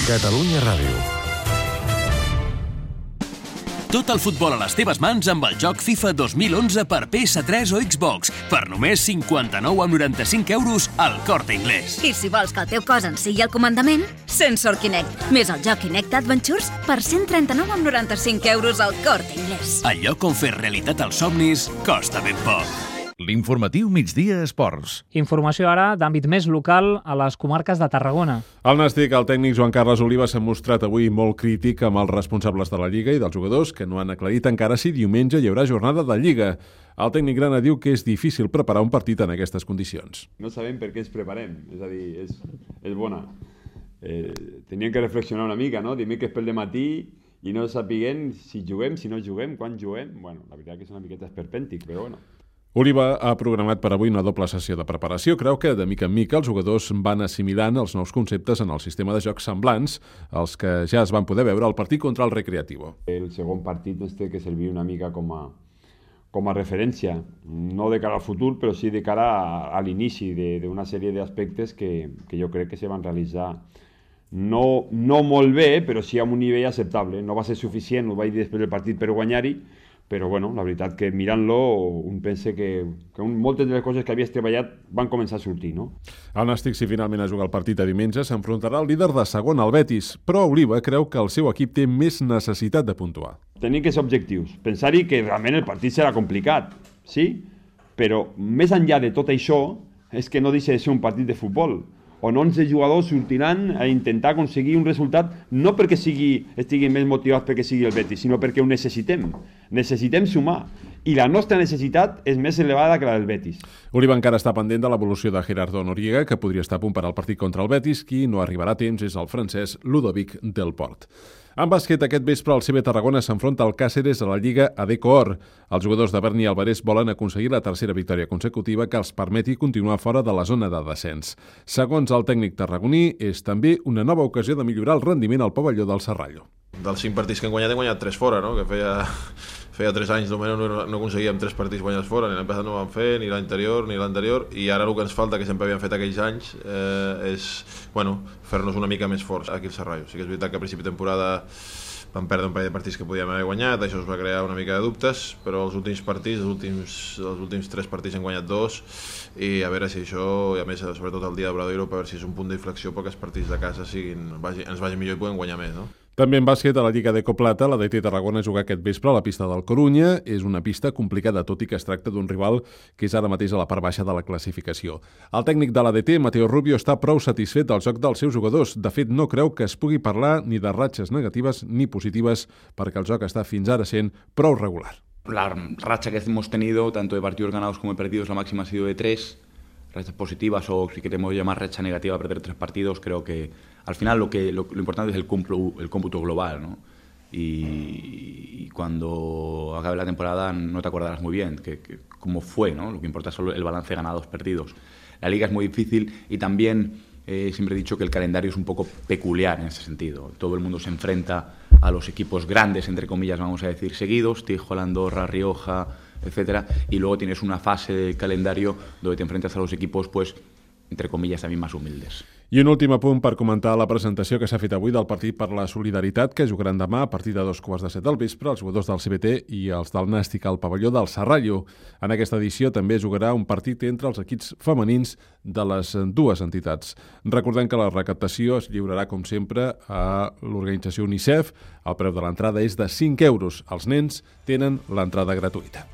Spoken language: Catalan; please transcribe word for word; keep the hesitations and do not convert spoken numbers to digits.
Catalunya Ràdio. Tot el futbol a les teves mans amb el joc FIFA dos mil onze per P S tres o Xbox per només cinquanta-nou coma noranta-cinc euros al Corte Inglés. I si vols que el teu cos en sigui el comandament, Sensor Kinect, més el joc Kinect Adventures per cent trenta-nou coma noranta-cinc euros al Corte Inglés. El lloc on fer realitat els somnis costa ben poc. L'informatiu Migdia Esports. Informació ara d'àmbit més local a les comarques de Tarragona. El Nàstic, el tècnic Joan Carles Oliva, s'ha mostrat avui molt crític amb els responsables de la Lliga i dels jugadors que no han aclarit encara si diumenge hi haurà jornada de Lliga. El tècnic grana diu que és difícil preparar un partit en aquestes condicions. No sabem per què ens preparem, és a dir, és, és bona. Eh, teníem que reflexionar una mica, no? Dimecres pel dematí i no sapiguem si juguem, si no juguem, quan juguem. Bueno, la veritat que és una miqueta esperpèntic, però bueno. Oliva ha programat per avui una doble sessió de preparació. Creu que, de mica en mica, els jugadors van assimilant els nous conceptes en el sistema de jocs semblants, els que ja es van poder veure al partit contra el Recreativo. El segon partit ens té que servir una mica com a, com a referència, no de cara al futur, però sí de cara a, a l'inici d'una sèrie d'aspectes que, que jo crec que se van realitzar no, no molt bé, però sí amb un nivell acceptable. No va ser suficient, ho vaig dir després del partit, per guanyar-hi, però bueno, la veritat que mirant-lo un pensa que, que un, moltes de les coses que havies treballat van començar a sortir, no? El Nàstic, si finalment ha jugat el partit a diumenge, s'enfrontarà al líder de segon, el Betis, però Oliva creu que el seu equip té més necessitat de puntuar. Tenim que ser objectius, pensar-hi que realment el partit serà complicat, sí? Però més enllà de tot això és que no deixa de ser un partit de futbol, on onze jugadors sortiran a intentar aconseguir un resultat no perquè sigui, estiguin més motivats perquè sigui el Betis, sinó perquè ho necessitem. Necessitem sumar. I la nostra necessitat és més elevada que la del Betis. Oliva encara està pendent de l'evolució de Gerardo Noriega, que podria estar a punt per al partit contra el Betis. Qui no arribarà a temps és el francès Ludovic Delport. En bàsquet, aquest vespre el C B Tarragona s'enfronta al Càceres a la Lliga Adecor. Els jugadors de Berni i Alvarez volen aconseguir la tercera victòria consecutiva que els permeti continuar fora de la zona de descens. Segons el tècnic tarragoní, és també una nova ocasió de millorar el rendiment al pavelló del Serrallo. Dels cinc partits que hem guanyat, hem guanyat tres fora, no? Que feia, feia tres anys almenys no, no aconseguíem tres partits guanyats fora, ni l'any passat no ho vam fer, ni l'anterior, ni l'anterior, i ara el que ens falta, que sempre havíem fet aquells anys, eh, és bueno, fer-nos una mica més forts aquí al Serrallo. Sí que és veritat que a principi de temporada vam perdre un parell de partits que podíem haver guanyat, això us va crear una mica de dubtes, però els últims partits, els últims, els últims tres partits hem guanyat dos, i a veure si això, i a més sobretot el dia de Bradoiro, per veure si és un punt d'inflexió perquè els partits de casa siguin, vagi, ens vagin millor i puguem guanyar més, no? També en bàsquet, a la Lliga de Coplata, la D T Tarragona juga aquest vespre a la pista del Corunya. És una pista complicada, tot i que es tracta d'un rival que és ara mateix a la part baixa de la classificació. El tècnic de la D T, Mateo Rubio, està prou satisfet del joc dels seus jugadors. De fet, no creu que es pugui parlar ni de ratxes negatives ni positives, perquè el joc està fins ara sent prou regular. La racha que hemos tenido, tanto de partidos ganados como de perdidos, la máxima ha sido de tres. Rachas positivas, o si queremos llamar racha negativa, perder tres partidos, creo que al final lo que lo, lo importante es el cómputo, el cómputo global, ¿no? Y, y cuando acabe la temporada no te acordarás muy bien que, que, cómo fue, ¿no? Lo que importa es solo el balance ganados, perdidos. La liga es muy difícil y también eh, siempre he dicho que el calendario es un poco peculiar en ese sentido. Todo el mundo se enfrenta a los equipos grandes, entre comillas, vamos a decir, seguidos, Tijuana, Andorra, Rioja, etcétera, y luego tienes una fase del calendario donde te enfrentas a los equipos, pues, entre comillas, también más humildes. I un últim apunt per comentar la presentació que s'ha fet avui del partit per la solidaritat, que jugaran demà a partir de dos quarts de set del vespre els jugadors del C B T i els del Nàstic al pavelló del Serrallo. En aquesta edició també jugarà un partit entre els equips femenins de les dues entitats. Recordem que la recaptació es lliurarà, com sempre, a l'organització UNICEF. El preu de l'entrada és de cinc euros. Els nens tenen l'entrada gratuïta.